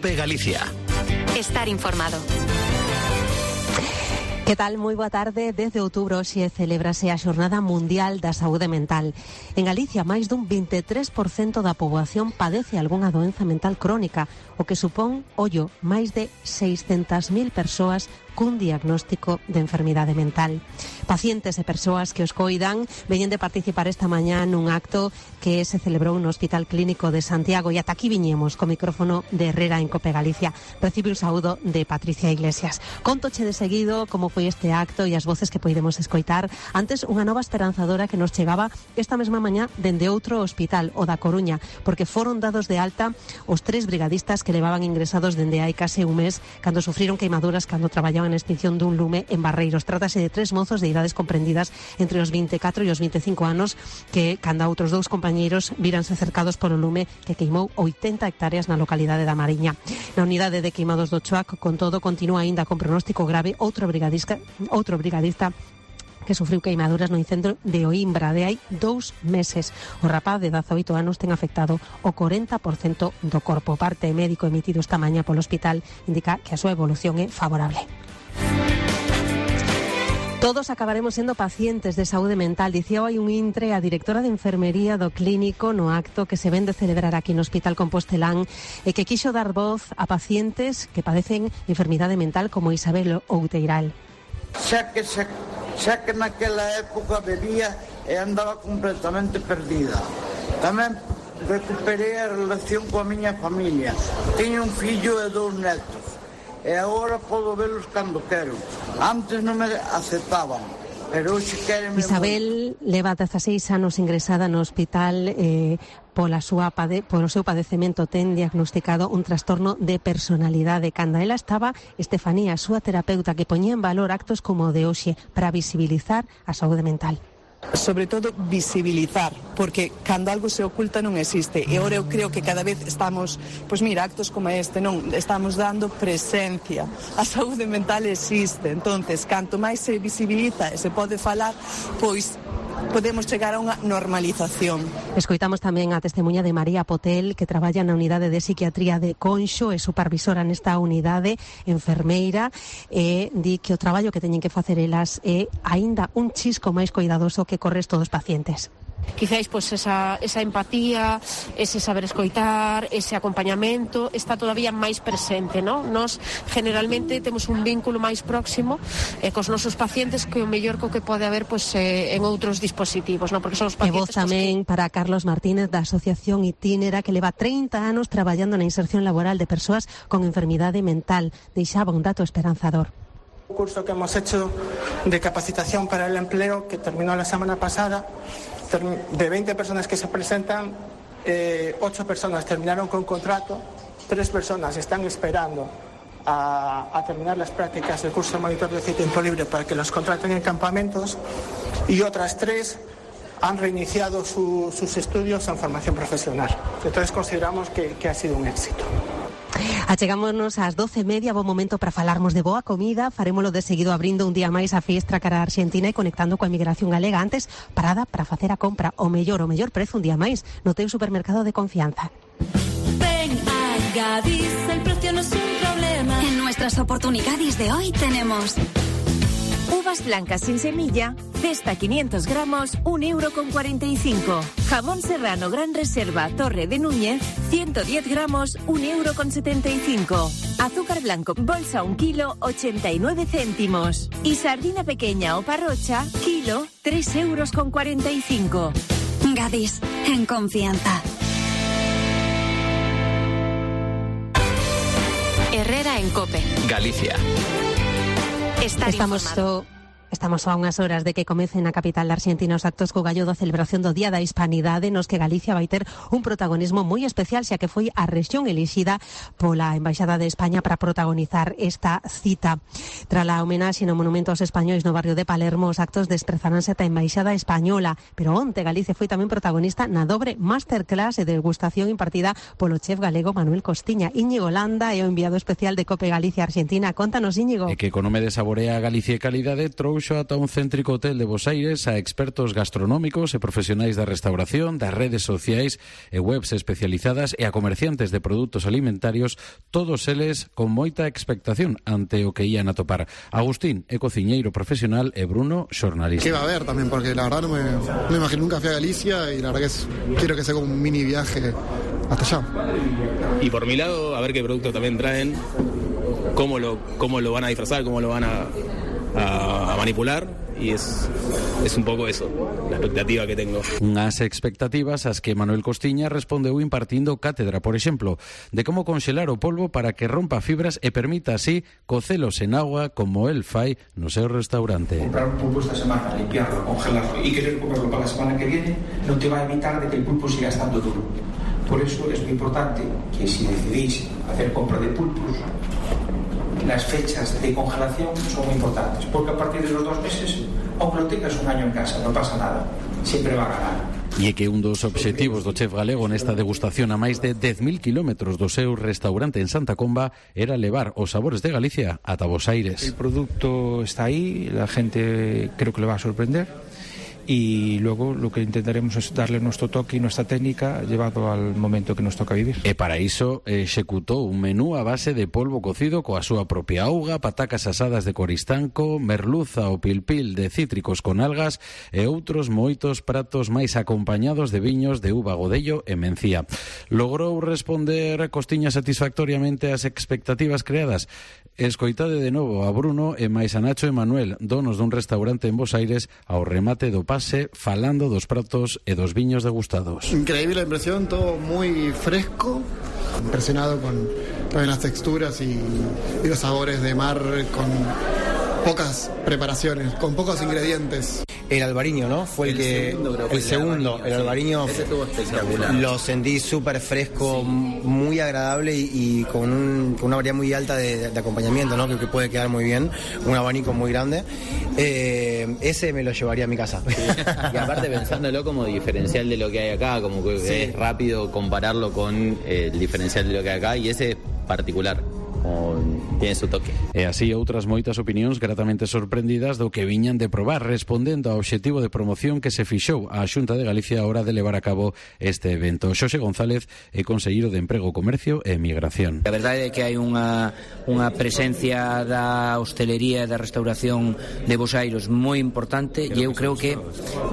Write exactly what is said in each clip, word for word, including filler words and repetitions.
COPE Galicia. Estar informado. Que tal? Moi boa tarde. Desde outubro xe celébrase a Xornada Mundial da Saúde Mental. En Galicia, máis dun veintitrés por ciento da poboación padece algunha doenza mental crónica, o que supón, ollo, máis de seiscentas mil persoas cun diagnóstico de enfermidade mental. Pacientes e persoas que os coidan veñen de participar esta mañá nun acto que se celebrou no Hospital Clínico de Santiago, e ata aquí viñemos co micrófono de Herrera en COPE Galicia. Recibe un saúdo de Patricia Iglesias. Contoche de seguido como foi este acto e as voces que poidemos escoitar. Antes, unha nova esperanzadora que nos chegaba esta mesma mañá dende outro hospital, o da Coruña, porque foron dados de alta os tres brigadistas que levaban ingresados dende hai case un mes cando sufriron queimaduras cando traballaban en extinción dun lume en Barreiros. Trátase de tres mozos de idades comprendidas entre os vinte e catro e os vinte e cinco anos que, cando outros dous compañeiros víranse cercados polo lume que queimou oitenta hectáreas na localidade da Mariña. Na unidade de queimados do Choac, con todo, continúa aínda con pronóstico grave outro brigadista, outro brigadista que sufriu queimaduras no incendio de Oimbra de hai dous meses. O rapaz de dezaoito anos ten afectado o corenta por cento do corpo. Parte médico emitido esta mañá polo hospital indica que a súa evolución é favorable. Todos acabaremos sendo pacientes de saúde mental, dicía hai un intre a directora de enfermería do clínico no acto que se ven de celebrar aquí no Hospital Compostelán e que quixo dar voz a pacientes que padecen enfermidade mental como Isabel Outeiral. Xa que, xa, xa que naquela época bebía e andaba completamente perdida. Tamén recuperei a relación coa miña familia. Teño un fillo e dous netos. E agora podo velos cando quero. Antes non me aceptaban, pero hoxe queren... Isabel moi... leva dezaseis anos ingresada no hospital eh, pola súa pade... polo seu padecemento. Ten diagnosticado un trastorno de personalidade. Cando ela estaba, Estefanía, a súa terapeuta, que poñía en valor actos como o de hoxe para visibilizar a saúde mental. Sobre todo visibilizar, porque cando algo se oculta non existe, e agora eu creo que cada vez estamos, pois mira, actos como este, non, estamos dando presencia. A saúde mental existe, entonces, canto máis se visibiliza e se pode falar, pois podemos chegar a unha normalización. Escoitamos tamén a testemunha de María Potel, que traballa na unidade de psiquiatría de Conxo, é supervisora nesta unidade, enfermeira, e di que o traballo que teñen que facer elas é aínda un chisco máis coidadoso que co resto dos pacientes. Quizáis pois esa, esa empatía, ese saber escoitar, ese acompañamento está todavía máis presente, non? Nos generalmente temos un vínculo máis próximo eh, cos nosos pacientes que o mellor co que pode haber pois, eh, en outros dispositivos, non? Porque son os pacientes... E voz tamén que... para Carlos Martínez da Asociación Itínera, que leva trinta anos traballando na inserción laboral de persoas con enfermidade mental. Deixaba un dato esperanzador. Un curso que hemos hecho de capacitación para el empleo que terminó la semana pasada. De veinte personas que se presentan, eh, ocho personas terminaron con contrato, tres personas están esperando a, a terminar las prácticas del curso de monitor de ocio y tiempo libre para que los contraten en campamentos, y otras tres han reiniciado su, sus estudios en formación profesional. Entonces consideramos que, que ha sido un éxito. Achegámonos ás doce e media, bo momento para falarmos de boa comida. Farémolo de seguido abrindo un día máis a fiestra cara a Argentina e conectando coa emigración galega. Antes, parada para facer a compra o mellor, o mellor prezo un día máis no teu supermercado de confianza. Ven a Gadis, el precio no es un problema. En nuestras oportunidades de hoy tenemos uvas blancas sin semilla, cesta quinientos gramos, un euro con cuarenta y cinco. Jamón serrano gran reserva, Torre de Núñez, ciento diez gramos, un euro con setenta y cinco. Azúcar blanco, bolsa un kilo, ochenta y nueve céntimos. Y sardina pequeña o parrocha, kilo, tres euros con cuarenta y cinco. Gadis, en confianza. Herrera en COPE Galicia. Estar Estamos informado. so... Estamos a unhas horas de que comecen na capital da Argentina os actos co gallo da celebración do Día da Hispanidade, nos que Galicia vai ter un protagonismo moi especial, xa que foi a rexión elixida pola Embaixada de España para protagonizar esta cita. Tras a homenaxe no Monumento aos Españois no barrio de Palermo, os actos desprezaránse ata a Embaixada Española, pero onte Galicia foi tamén protagonista na dobre masterclass e degustación impartida polo chef galego Manuel Costiña. Íñigo Landa é o enviado especial de COPE Galicia Argentina. Contanos, Íñigo. E que con nome de Saborea Galicia e Calidade trouxe trouxo ata un céntrico hotel de Bos Aires a expertos gastronómicos e profesionais da restauración, das redes sociais e webs especializadas e a comerciantes de produtos alimentarios, todos eles con moita expectación ante o que ían a topar. Agustín é cociñeiro profesional e Bruno, xornalista. Que va a haber tamén, porque la verdad no me, no me imagino, nunca fui a Galicia y la verdad que es, quiero que sea como un mini viaje hasta allá. Y por mi lado, a ver qué producto también traen, cómo lo, cómo lo van a disfrazar, cómo lo van a, a, a manipular, y es, es un pouco eso, la expectativa que tengo. Unhas expectativas ás que Manuel Costiña respondeu impartindo cátedra, por exemplo, de como conxelar o polvo para que rompa fibras e permita así cocelos en agua como el fai no seu restaurante. Comprar un pulpo esta semana, limpiarlo, congelarlo y querer comerlo para la semana que viene no te va a evitar de que el pulpo siga estando duro. Por eso es muy importante que si decidís hacer compra de pulpos, las fechas de congelación son muy importantes, porque a partir de los dos meses, aunque lo tengas un año en casa, no pasa nada, siempre va a ganar. E é que un dos obxectivos do chef galego nesta degustación a máis de dez mil kilómetros do seu restaurante en Santa Comba era levar os sabores de Galicia ata Bos Aires. El producto está aí, la gente creo que le va a sorprender. Y luego lo que intentaremos es darle nuestro toque y nuestra técnica llevado al momento que nos toca vivir. E para iso executou un menú a base de polvo cocido coa súa propia auga, patacas asadas de coristanco, merluza ou pilpil de cítricos con algas e outros moitos pratos máis acompañados de viños de uva, godello e mencía. Logrou responder Costiña satisfactoriamente ás expectativas creadas. Escoitade de novo a Bruno e máis a Nacho e Manuel, donos dun restaurante en Bos Aires, ao remate do pase, falando dos pratos e dos viños degustados. Increíble la impresión, todo muy fresco, impresionado con también las texturas y, y los sabores de mar con pocas preparaciones, con pocos ingredientes. El albariño, ¿no? Fue el, el que... Segundo, el segundo, el albariño. Ese estuvo espectacular. Lo sentí súper fresco, muy agradable y, y con, un, con una variedad muy alta de, de acompañamiento, ¿no? Que, que puede quedar muy bien, un abanico muy grande. Eh, ese me lo llevaría a mi casa. Sí. Y aparte pensándolo como diferencial de lo que hay acá, como que sí. Es rápido compararlo con el diferencial de lo que hay acá, y ese es particular. Tiene su toque. E así outras moitas opinións gratamente sorprendidas do que viñan de probar, respondendo ao obxectivo de promoción que se fixou a Xunta de Galicia a hora de levar a cabo este evento. Xosé González é conselleiro de Emprego, Comercio e Migración. A verdade é que hai unha, unha presencia da hostelería e da restauración de Bos Aires moi importante, e eu creo que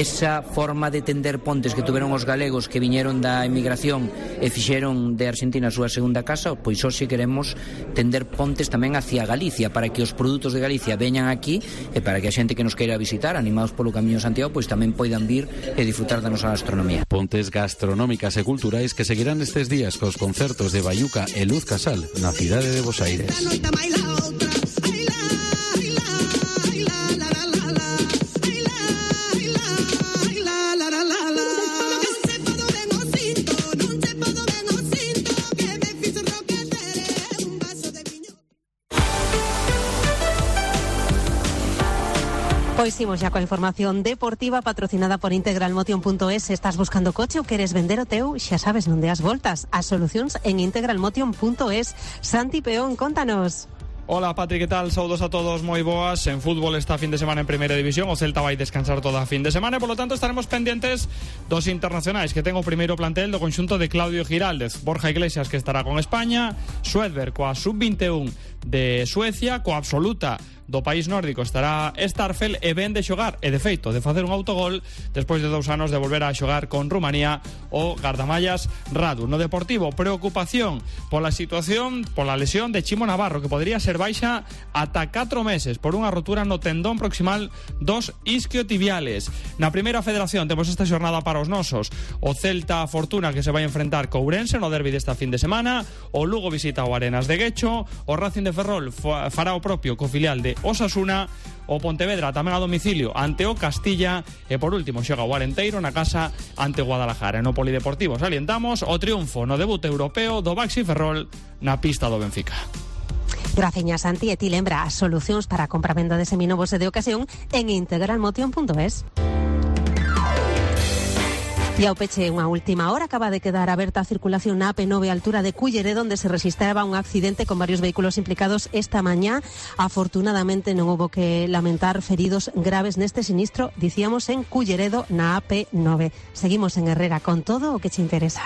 esa forma de tender pontes que tuveron os galegos que viñeron da emigración e fixeron de Argentina a súa segunda casa, pois hoxe queremos tender pontes tamén hacia Galicia, para que os produtos de Galicia veñan aquí e para que a xente que nos queira visitar, animados polo Camiño de Santiago, pois tamén poidan vir e disfrutar da nosa gastronomía. Pontes gastronómicas e culturais que seguirán estes días cos concertos de Bayuca e Luz Casal na cidade de Bos Aires. Pois imos xa coa información deportiva patrocinada por integral motion punto es. Estás buscando coche ou queres vender o teu? Xa sabes onde as voltas. As solucións en integral motion punto es. Santi Peón, contanos. Hola, Patri, que tal? Saudos a todos, moi boas. En fútbol está fin de semana en Primeira División. O Celta vai descansar toda a fin de semana e, polo tanto, estaremos pendientes dos internacionais que ten o primeiro plantel do conxunto de Claudio Giraldez. Borja Iglesias, que estará con España. Suedberg, coa sub veintiún de Suecia. Coa absoluta do país nórdico estará Starfel, e ven de xogar, e de feito, de facer un autogol despois de dous anos de volver a xogar con Rumanía o gardamallas Radu. No Deportivo, preocupación pola situación, pola lesión de Chimo Navarro, que podría ser baixa ata catro meses por unha rotura no tendón proximal dos isquiotibiales. Na Primeira Federación temos esta xornada para os nosos: o Celta Fortuna, que se vai enfrentar co Ourense no derbi desta fin de semana, o Lugo visita o Arenas de Guecho, o Racing de Ferrol fará o propio co filial de Osasuna, o Pontevedra tamén a domicilio ante o Castilla, e por último xoga o Arenteiro na casa ante Guadalajara. No Polideportivo salientamos o triunfo no debut europeo do Baxi Ferrol na pista do Benfica. Graciñas, Santi, e ti lembra as solucións para a compra-venda de seminovos e de ocasión en integral motion punto es. E ao peche, unha última hora, acaba de quedar aberta a circulación na A P nove a altura de Culleredo, onde se registraba un accidente con varios vehículos implicados esta mañá. Afortunadamente non hubo que lamentar feridos graves neste sinistro, dicíamos, en Culleredo na A P nove. Seguimos en Herrera con todo o que che interesa.